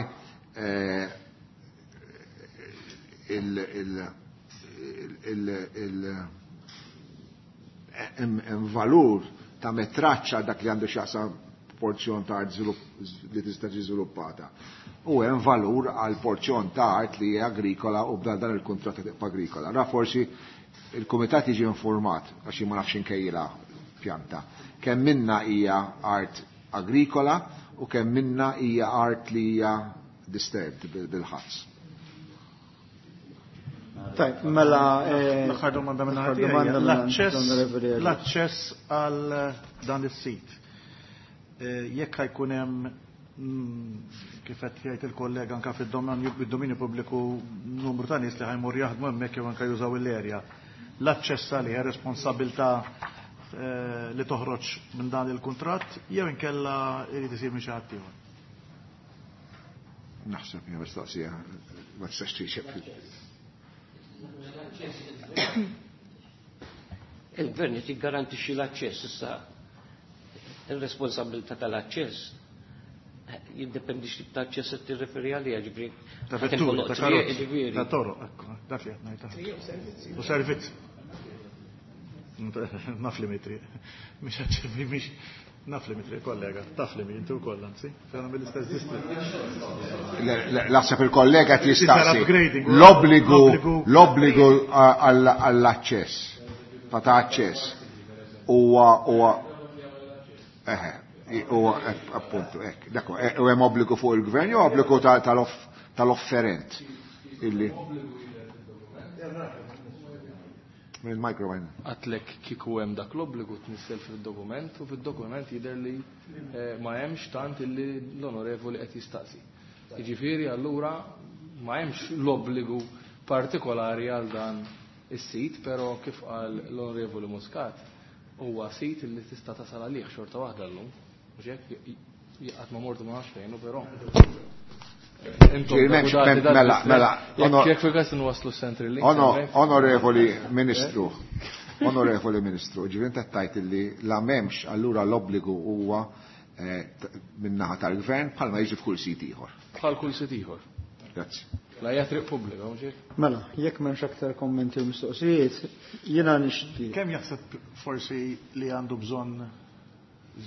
il-valur ta' metraċċa dak li għandu x'jaqsam porzjon ta' art li tista' tiġi żviluppata. U hemm valur għal porzjon ta' art li hija agrikola u b'dan dan il-kuntratt tibqa' agrikola. Ra forsi il-kumitat jiġi informat għax ma nafx inkejjilha pjanta. Kemm minna hija art agrikola u kemm minna hija art li hija disturbed bil-ħadd. Tajb, mela l-aħħar domanda minn ħadd l-aċċess l-aċċess għal dan is-sit. Jekk ħajkun hemm kif qed jgħid il-kollega anke fid-dominju pubbliku numru ta' nies li ħajmur jaħdmu hemmhekk jew anke jużaw l-erja. L-aċċess għalih responsabilità li toħroġ minn dan il-kuntratt jew inkella irid isir minn xi ħadd ieħor. Naħseb hija mistoqsija ma tistax twieġeb. Il-gvern qed jiggarantixxi l-aċċess issa. Ir-responsabilità tal-aċċess jiddependi x'tip ta' aċċess qed tirreferi għaliha, ġifieri. Ta' vetturi, ta' karozzi, ta' toroq, ekku, dak li qed ngħid. U servizz. Naf li mitri. Mhix aċċess, mhix naf li mitri, kollega, taf li inti wkoll anzi, fejn mill-istess distritt. Naħseb il-kollega qed jistaqsi. L-obbligu l-obbligu għall-aċċess, ta' ta' aċċess huwa huwa eħe, huwa appuntu hekk. Dak u hemm obbligu fuq il-gvern jew obbligu tal-offerent illi mill-micro-line. Għatlek kieku hemm dak l-obbligu tnissel fid-dokument u fid-dokument jidher li ma hemmx tant illi l-onorevoli qed jistaqsi. Jiġifieri allura ma hemmx l-obbligu partikolari għal dan is-sit, però kif qal l-onorevoli Muscat huwa sit illi tista' tasal għalih xorta waħda llum. Mhux hekk qatt ma mortu ma nafx fejn, però Mela, mela, jekk fil-każ inwasslu s-Central Link. Onorevoli Ministru, onorevoli Ministru, ġifieri inti tajt illi la m'hemmx allura l-obbligu huwa min-naħa tal-gvern bħalma jiġi f'kull sit ieħor. Bħal kull sit ieħor. Grazzi. La hija triq pubblika, mhux hekk? Mela, jekk m'hemmx aktar kommenti u mistoqsijiet, jiena nixtieq. Kemm jaħseb forsi li għandu bżonn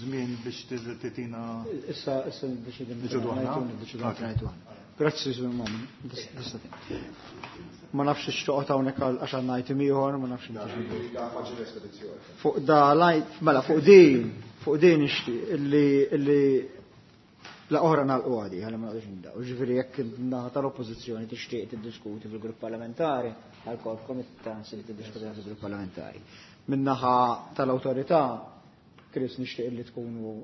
żmien biex titina Issa issa niddeċidu Niddeċidu aħna? Niddeċidu aħna. Grazzi, Sur Mamun. Ma nafx x'toqgħod hawnhekk għax għandna item ieħor, ma nafx Fuq da lajt, mela fuq din, fuq din nixtieq illi illi la oħra nagħlqu għadi, ħalli ma naqgħodux nibdew. Ġifieri jekk naħa tal-oppożizzjoni tixtieq tiddiskuti fil-grupp parlamentari, għalkolkom it-tans li tiddiskuti fil-grupp parlamentari. Min-naħa tal-awtorità, Chris, nixtieq li tkunu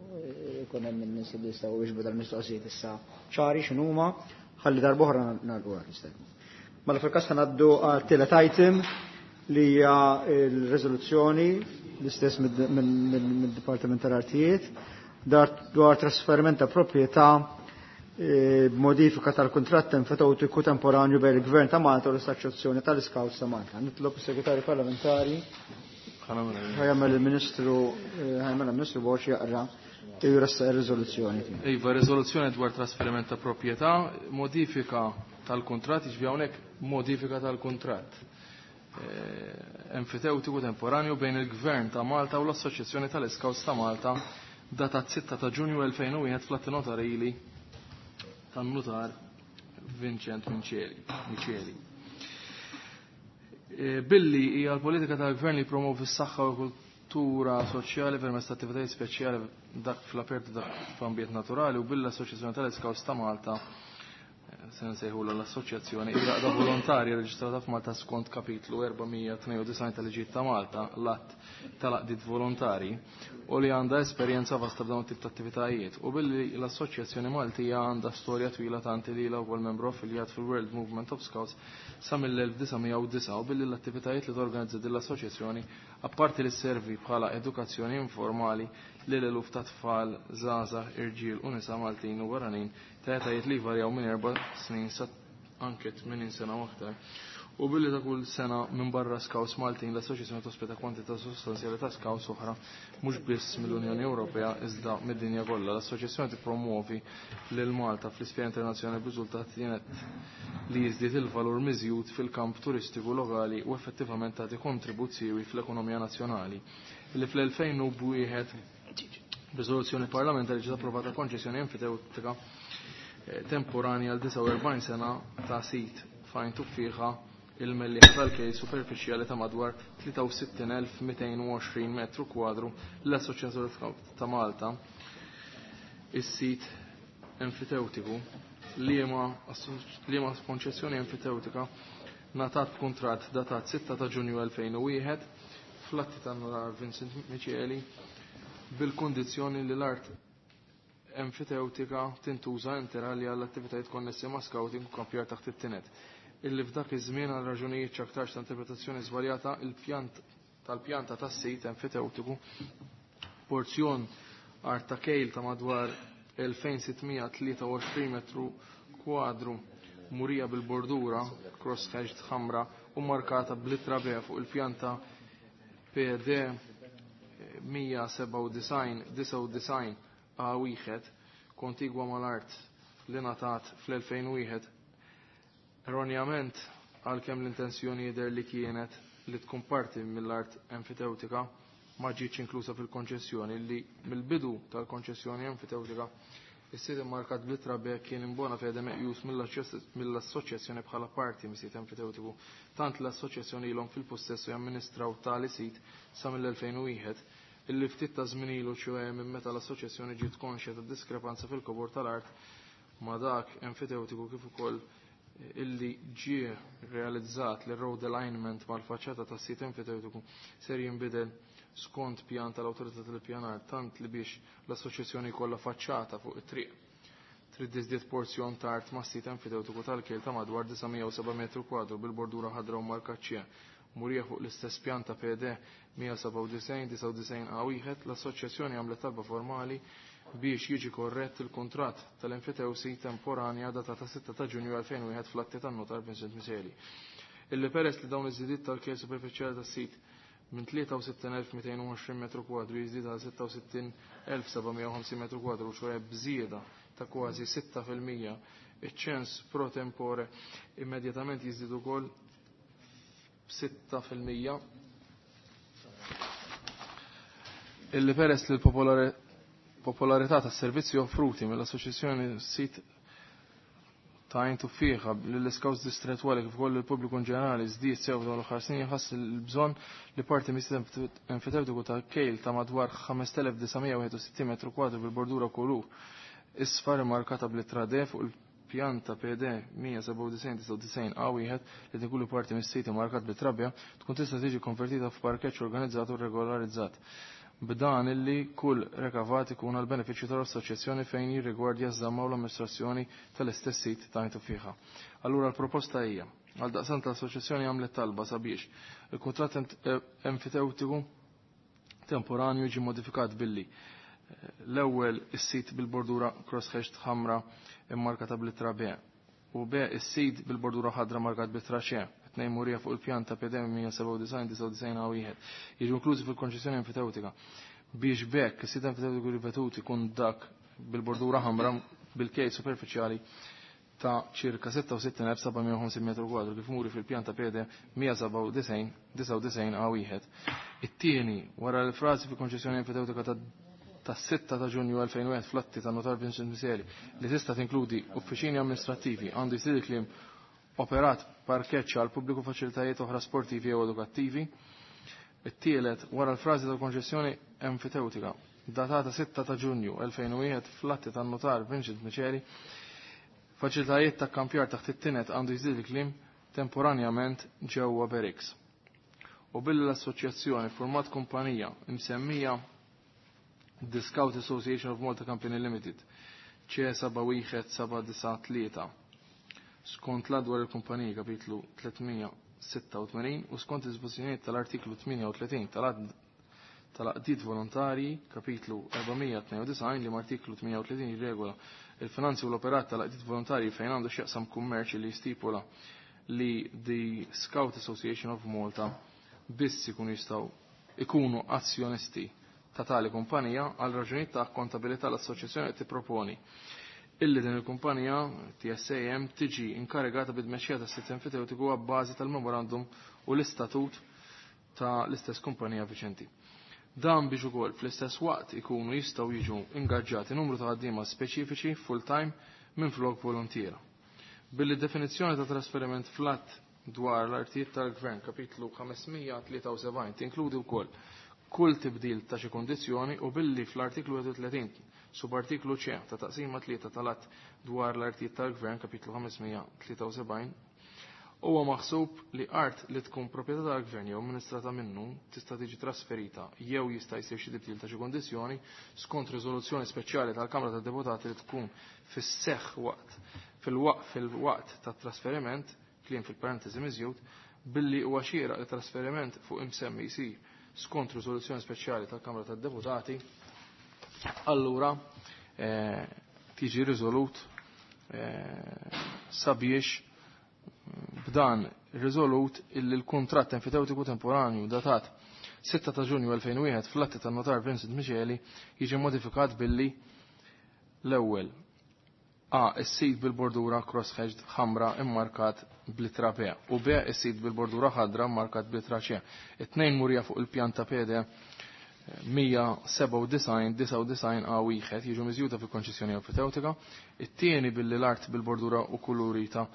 jkun hemm in-nies li jistgħu jiġbu dal-mistoqsijiet issa ċari x'inhuma, ħalli darb'oħra nagħlqu għadi. Mela fil-każ ngħaddu għat-tielet item li hija l-riżoluzzjoni l-istess mid-Dipartiment tal-Artijiet dwar trasferiment ta' proprjetà b'modifika tal-kuntratt enfitotiku temporanju bejn il-Gvern ta' Malta u l-Assoċjazzjoni tal-Scouts ta' Malta. Nitlob is-Segretarju Parlamentari ħajamel il-Ministru ħajamel il-Ministru Borg jaqra jressaq ir-riżoluzzjoni. Iva, riżoluzzjoni dwar trasferiment ta' proprjetà, modifika tal-kuntratt, jiġifieri hawnhekk modifika tal-kuntratt enfiteutiku temporanju bejn il-Gvern ta' Malta u l-Assoċjazzjoni tal-Scouts ta' Malta datat sitta ta' Ġunju elfejn u wieħed fl-atti notarili tan-nutar Vincent Micheli. Billi hija l-politika tal-Gvern li promovi s-saħħa u l-kultura soċjali permezz ta' attivitajiet speċjali dak fl-apertu dak f'ambjent naturali u billi l-Assoċjazzjoni tal-Scouts ta' Malta se nsejħula l-assoċjazzjoni hija għaqda volontarja reġistrata f'Malta skont kapitlu erba' mija tnejn u disgħin tal-Liġijiet ta' Malta, l-att tal-għaqdiet volontari, u li għandha esperjenza vasta f'dawn it-tip ta' attivitajiet. U billi l-Assoċjazzjoni Maltija għandha storja twila tanti li ilha wkoll membru affiljat fil-World Movement of Scouts sa mill-elf disa' mija u disgħa, u billi l-attivitajiet li torganizza din l-assoċjazzjoni apparti li sservi bħala edukazzjoni informali lil eluf ta' tfal, żgħażagħ, irġiel u nisa Maltin u barranin ta' etajiet li jvarjaw minn erba' snin sa anke tmenin sena u aktar. U billi ta' kull sena minn barra Scouts Maltin l-Assoċjazzjoni tospita kwantità sostanzjali ta' Scouts oħra mhux biss mill-Unjoni Ewropea iżda mid-dinja kollha. L-Assoċjazzjoni tippromuovi lil Malta fl-isfera internazzjonali b'riżultat kienet li jiżdied il-valur miżjud fil-kamp turistiku lokali u effettivament tagħti kontribut siewi fl-ekonomija nazzjonali. Li fl-elfejn u wieħed riżoluzzjoni parlamentari ġiet approvata konċessjoni enfiteutika temporanja għal disgħa u erbgħin sena ta' sit fejn tuffieħa il-mellieħ tal-kejl superfiċjali ta' madwar tlieta u sittin elf mitejn u għoxrin metru kwadru l-Assoċjazzjoni ta' Malta. Is-sit enfiteutiku liema liema konċessjoni enfiteutika ngħatat b'kuntratt datat sitta ta' Ġunju elfejn u wieħed fl-atti tan-Notar Vincent Micheli bil-kondizzjoni li l-art enfiteutika tintuża interali għall attivitajiet konnessi ma' scouting u kampjar taħt it-tinet. Illi f'dak iż-żmien għal raġunijiet x'aktarx ta' interpretazzjoni żbaljata il-pjant tal-pjanta tas-sit enfiteutiku porzjon art ta' kejl ta' madwar elfejn sitt mija tlieta u għoxrin metru kwadru murija bil-bordura cross-hatched ħamra u markata bl-ittra B fuq il-pjanta P D mija sebgħa u disgħin disgħa u disgħin A wieħed kontigwa mal-art li ngħatat fl-elfejn u wieħed. Erroneament għalkemm l-intenzjoni jidher li kienet li tkun parti mill-art enfiteutika ma ġietx inklusa fil-konċessjoni li mill-bidu tal-konċessjoni enfiteutika is-sit immarkat bl-ittra B kien imbona fede meqjus mill-assoċjazzjoni bħala parti mis-sit enfiteutiku, tant l-assoċjazzjoni ilhom fil-possessu jamministraw tali sit sa mill-elfejn u wieħed, illi ftit ta' żmien ilu ċoe minn meta l-assoċjazzjoni ġiet konxja ta' diskrepanza fil-kobor tal-art ma' dak enfiteutiku kif ukoll illi ġie realizzat li road alignment mal-faċċata tas-sit enfiteutiku ser jinbidel skont pjan tal-awtorità tal-pjanar, tant li biex l-assoċjazzjoni jkollha faċċata fuq it-triq. Trid tiżdied porzjon ta' art mas-sit enfiteutiku tal-kejl ta' madwar disa' mija u seba' metru kwadru bil-bordura ħadra u marka C murija fuq l-istess pjan ta' P D mija sebgħa u disgħin disgħa u disgħin A wieħed. L-assoċjazzjoni għamlet talba formali biex jiġi korrett il-kuntratt tal-enfitewsi temporanja datata sitta ta' Ġunju elfejn u wieħed fl-atti tan-notar Vincent Miseli. Illi peress li dawn iż-żidiet tal-kejl superfiċjali tas-sit minn tlieta u sittin elf mitejn u għoxrin metru kwadru jiżdied għal sitta u sittin elf seba' mija u ħamsin metru kwadru, ċoħe bżieda ta' kważi sitta fil-mija. Iċ-ċens pro tempore immedjatament jiżdied ukoll b'sitta fil-mija. Illi peress li l-popolarità tas-servizzi offruti mill-Assoċjazzjoni Sit ta' Għajn Tuffieħa lill-iskawts distretwali kif ukoll il-pubbliku in ġenerali żdied sew f'dawn l-aħħar snin, jħass il-bżonn li parti mis-sit enfitewtiku ta' kejl ta' madwar ħamest elef disa' mija wieħed u sittin metru kwadru bil-bordura kulur isfar immarkata bl-ittra D fuq il-pjanta P D mija sebgħa u disgħin disgħa u disgħin A wieħed li tinkludi parti mis-sit immarkat bit-trabbja tkun tista' tiġi konvertita f'parkeġġ organizzat u regolarizzat, b'dan illi kull rekavat ikun għal benefiċċju tal-assoċjazzjoni fejn jirrigwardja ż-żamma u l-amministrazzjoni tal-istess sit ta' Għajn Tuffieħa. Allura l-proposta hija, għal daqstant l-assoċjazzjoni għamlet talba sabiex il-kuntratt enfiteutiku temporanju jiġi modifikat billi l-ewwel is-sit bil-bordura cross-hatched ħamra immarkata bl-ittra B u B is-sit bil-bordura ħadra markat bl-ittra C, tnejn murija fuq il-pjan ta' P D mija sebgħa u disgħin disgħa u disgħin A wieħed, jiġu inklużi fil-konċessjoni enfitewtika biex bekk is-sit enfitewtiku ripetut ikun dak bil-bordura ħamra bil-kejl superfiċjali ta' ċirka sitta u sittin elf seba' mija u ħamsin metru kwadru kif muri fil-pjan ta' P D mija sebgħa u disgħin disgħa u disgħin A wieħed. It-tieni, wara l-frażi fil-konċessjoni enfitewtika ta' ta' sitta ta' Ġunju elfejn u wieħed fl-atti ta' Notar Vincent Miceli li tista' tinkludi uffiċini amministrattivi għandu jsir kliem operat parkeġġ għal pubbliku faċilitajiet oħra sportivi jew edukattivi. It-tielet, wara l-frażi tal-konċessjoni enfitewtika datata sitta ta' Ġunju elfejn u wieħed fl-atti tan-Notar Vincent Miceli, faċilitajiet ta' kampjar taħt it-tinet għandu jżid il-kliem temporanjament ġewwa Berix. U billi l-assoċjazzjoni format kumpanija imsemmija The Scout Association of Malta Company Limited C seba' wieħed seba' disa' tlieta skont l dwar il-kumpaniji kapitlu tliet mija sitta u tmenin u skont dispożizzjonijiet tal-artiklu tmienja u tletin tal-għaqdiet volontarji kapitlu erba' mija tnejn u disgħin li mal-artiklu tmienja u tletin jirregola il-finanzi u l-operat tal-għaqdiet volontarji fejn għandu x'jaqsam kummerċ li jistipula li The Scout Association of Malta biss ikunu jistgħu ikunu azzjonisti ta' tali kumpanija. Għal raġunijiet ta' kontabilità l-assoċjazzjoni qed tipproponi illi din il-kumpanija T S A M tiġi inkarigata bid-tmexxija tas-sit enfiteutiku għabbażi tal-memorandum u l-istatut ta' l-istess kumpanija viċenti. Dan biex ukoll fl-istess waqt ikunu jistgħu jiġu ingaġġati numru ta' ħaddiema speċifiċi full-time minn flok volontiera. Billi definizzjoni ta' trasferiment flat dwar l-artijiet tal-Gvern kapitlu ħames mija tlieta u sebgħin tinkludi wkoll kull tibdil ta' xi kondizzjoni u billi fl-artiklu wieħed u tletin subartiklu C ta' taqsima tlieta tal-att dwar l-artijiet tal-Gvern kapitlu ħames mija tlieta u sebgħin huwa maħsub li art li tkun proprjetà tal-Gvern jew amministrata minnu tista' tiġi trasferita jew jista' jsir xi tibdil ta' xi kondizzjoni skont riżoluzzjoni speċjali tal-Kamra tad-Deputati li tkun fis-seħħ waqt fil-waqt fil-waqt tat-trasferiment kliem fil-parentesi miżjud billi huwa xieraq li trasferiment fuq imsemmi jsir skont riżoluzzjoni speċjali tal-Kamra tad-Deputati, allura, eh, tiġi riżolut, eh, sabiex b'dan riżolut illi l-kuntratt enfiteutiku temporanju datat sitta ta' Ġunju elfejn u wieħed fl-atti tan-notar Vincent Miceli jiġi modifikat billi l-ewwel A is-sit bil-bordura cross-hatched ħamra immarkat bl-ittra B u B is-sit bil-bordura ħadra immarkat bl-ittra C. It-tnejn murija fuq il-pjanta P D mija sebgħa u disgħin disgħa u disgħin A wieħed jiġu miżjuda fil-konċessjoni enfitewtika. It-tieni billi l-art bil-bordura u kulurita,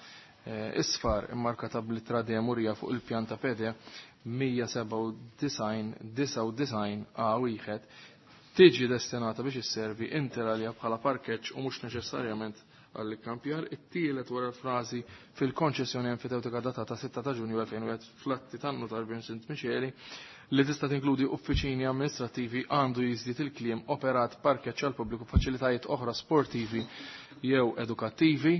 eh, isfar immarkata bl-ittra D murija fuq il-pjanta P D mija sebgħa u disgħin disgħa u disgħin A wieħed tiġi destinata biex isservi inter alia bħala parkeġġ u mhux neċessarjament għall-ikkampjar. It-tielet wara l-frażi fil-konċessjoni enfitewtika datata sitta ta' Ġunju elfejn u wieħed fl-atti tan-notar Vincent Miceli li tista' tinkludi uffiċini amministrattivi għandu jiżdied il-kliem operat parkeġġ għal pubbliku faċilitajiet oħra sportivi jew edukattivi.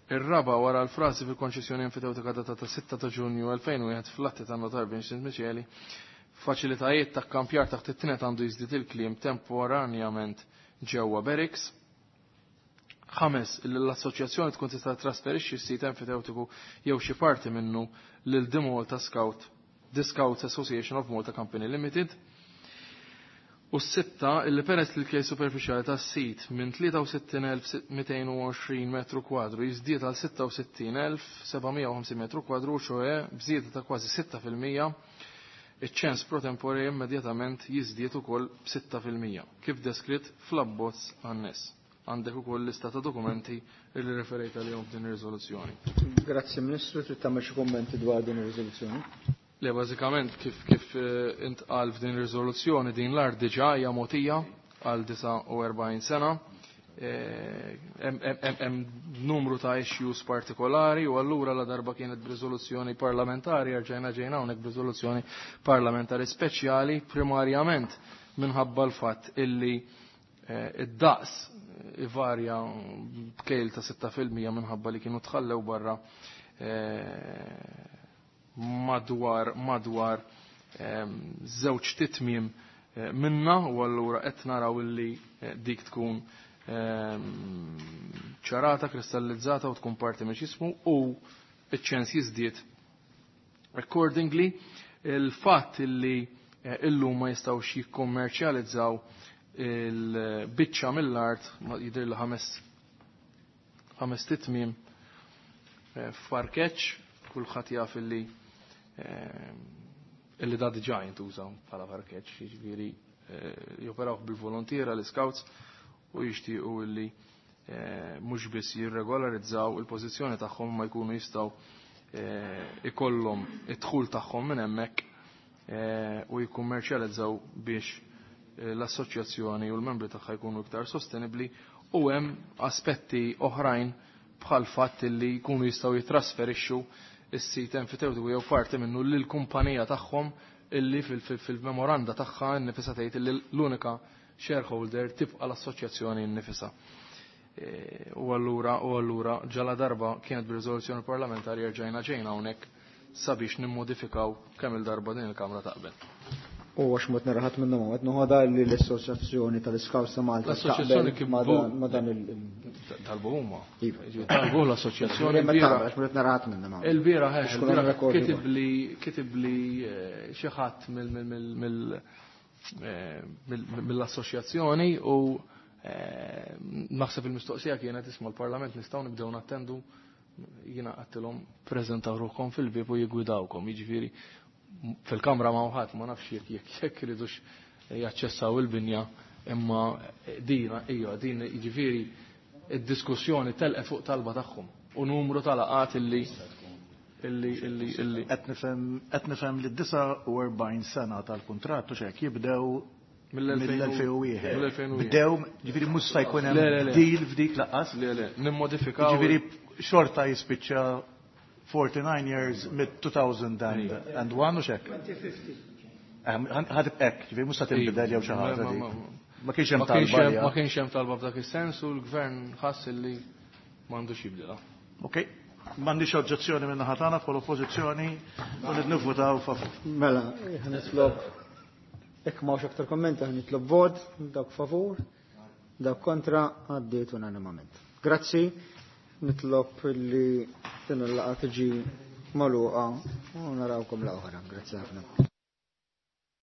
Ir-raba wara l-frażi fil-konċessjoni enfitewtika datata sitta ta' Ġunju elfejn u wieħed fl-atti tan-notar Vincent Miceli faċilitajiet ta' kampjar taħt it-tienet għandu jiżdied il-kliem temporanjament ġewwa Berix. Ħames, li l-assoċjazzjoni tkun tista' trasferixxi s-sit enfiteutiku jew xi parti minnu lil The Malta Scout The Scouts Association of Malta Company Limited. U s-sitta illi peress li l-kej superfiċjali tas-sit minn tlieta u sittin elf mitejn u għoxrin metru kwadru jiżdied għal sitta u sittin elf sebgħamija u ħamsin metru kwadru, ċoe b'żieda ta' kważi sitta fil-mija, iċ-ċens pro tempore immedjatament jiżdied ukoll b'sitta fil-mija, kif deskritt fl-abbozz anness. Għandek ukoll lista ta' dokumenti li referejt għalihom f'din ir-riżoluzzjoni. Grazzi Ministru, trid tagħmel xi kummenti dwar din ir-riżoluzzjoni? Le, bażikament kif, kif intqal f'din ir-riżoluzzjoni din l-art diġà hija mogħtija għal disgħa u erbgħin sena. Hemm numru ta' issues partikolari u allura la darba kienet b'riżoluzzjoni parlamentari rġajna ġejna hawnhekk b'riżoluzzjoni parlamentari speċjali primarjament minħabba l-fatt illi id-daqs ivarja b'kejl ta' sitta fil-mija minħabba li kienu tħallew barra madwar madwar żewġ titmiem minna u allura qed naraw illi dik tkun ċarata, kristallizzata u tkun parti minn x'ismu u iċ-ċens jiżdied accordingly. Il-fatt illi illum ma jistgħux jikkommerċjalizzaw il-biċċa mill-art jidher li ħames ħames titmiem f'parkeġġ, kulħadd jaf illi illi da diġà jintuża bħala parkeġġ, jiġifieri joperaw bil-volontiera l-scouts u jixtiequ illi mhux biss jirregolarizzaw il-pożizzjoni tagħhom ma jkunu jistgħu ikollhom id-dħul tagħhom minn hemmhekk u jikkummerċjalizzaw biex l-assoċjazzjoni u l-membri tagħha jkunu iktar sostenibbli u hemm aspetti oħrajn bħal fatt li jkunu jistgħu jitrasferixxu is-sit enfitewtiku jew parti minnu lill-kumpanija tagħhom illi fil-memoranda tagħha nnifisha tgħid illi l-unika shareholder tibqa' l-assoċjazzjoni nnifisha. U allura u allura ġala darba kienet b'riżoluzzjoni parlamentari rġajna ġejna hawnhekk sabiex nimmodifikaw kemm il-darba din il-Kamra taqbel. U għax mot naraħat minnhom qed noħodha li l-Assoċjazzjoni tal-Iskaws ta' Malta L-Assoċjazzjoni kif ma dan il talbu huma. Talbu l-assoċjazzjoni. Għax mot naraħat minnhom. Il-bieraħ kitib li kitib li xi ħadd mill-assoċjazzjoni u naħseb il-mistoqsija kienet isma' l-Parlament nistgħu nibdew nattendu jiena qedtilhom preżentaw ruħkom fil-bieb u jiggwidawkom, jiġifieri fil-kamra ma' ħadd ma nafx jekk jekk jekk iridux jaċċessaw il-binja imma din ija din jiġifieri id-diskussjoni telqet fuq talba tagħhom u numru ta' laqat illi illi illi illi qed nifhem qed nifhem li d-disgħa u erbgħin sena tal-kuntratt u x'hekk jibdew mill-elfejn u wieħed. Bdew, ġifieri mhux se jkun hemm deal f'dik laqas. Le, le, nimmodifikaw. Ġifieri xorta jispiċċa forty-nine years mid two thousand and one u x'hekk. Ħadib hekk, ġifieri mhux se tinbidel jew xi ħaġa dik. Ma kienx hemm talba. Ma kienx hemm talba f'dak is-sens u l-gvern ħass illi m'għandux jibdilha. Okej. M'għandix oġġezzjoni minn naħa tagħna bħala oppożizzjoni u nivvutaw favur. Mela, ħanitlob jekk m'hawnx aktar kommenti ħanitlob vot, dawk favur, dawk kontra, għaddiet unanimament. Grazzi, nitlob li din il-laqgħa tiġi magħluqa u narawkom l-oħra. Grazzi ħafna.